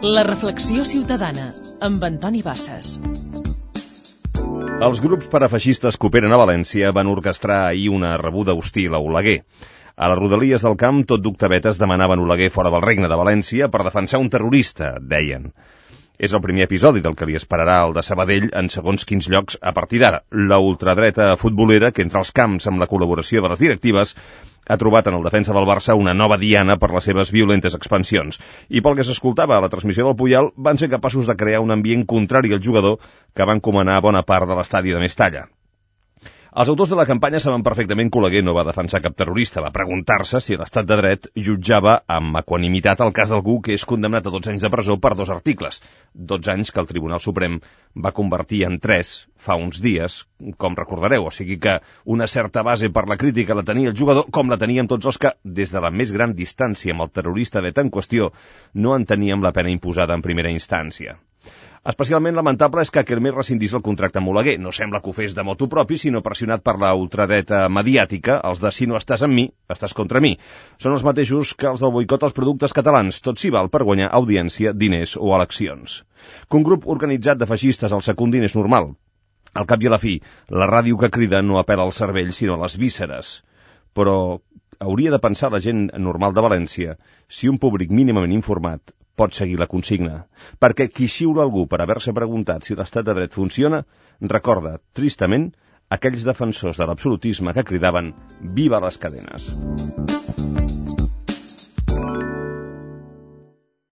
La reflexió ciutadana, amb Antoni Bassas. Els grups parafeixistes que operen a València van orquestrar ahir una rebuda hostil a Oleguer. A les rodalies del camp, tot d'octavetes demanaven Oleguer fora del Regne de València per defensar un terrorista, deien. És el primer episodi del que li esperarà el de Sabadell en segons quins llocs a partir d'ara. La ultradreta futbolera, que entra als camps amb la col·laboració de les directives, ha trobat en el defensa del Barça una nova diana per les seves violentes expansions. I pel que s'escoltava a la transmissió del Puyal, van ser capaços de crear un ambient contrari al jugador que va encomanar bona part de l'estadi de Mestalla. Els autors de la campanya saben perfectament que Oleguer no va defensar cap terrorista. Va preguntar-se si l'estat de dret jutjava amb equanimitat el cas d'algú que és condemnat a 12 anys de presó per 2 articles. 12 anys que el Tribunal Suprem va convertir en 3 fa uns dies, com recordareu. O sigui que una certa base per la crítica la tenia el jugador, com la teníem tots els que, des de la més gran distància amb el terrorista dret en qüestió, no enteníem la pena imposada en primera instància. Especialment lamentable és que Kermés rescindís el contracte amb Oleguer. No sembla que ho fes de motu propi, sinó pressionat per la ultradreta mediàtica, els de si no estàs amb mi, estàs contra mi. Són els mateixos que els del boicot als productes catalans, tot s'hi val per guanyar audiència, diners o eleccions. Que un grup organitzat de feixistes el secundin és normal. Al cap i a la fi, la ràdio que crida no apel·la al cervell, sinó a les vísceres. Però hauria de pensar la gent normal de València si un públic mínimament informat pot seguir la consigna, perquè qui xiula algú per haver-se preguntat si l'estat de dret funciona, recorda, tristament, aquells defensors de l'absolutisme que cridaven «Viva les cadenes!».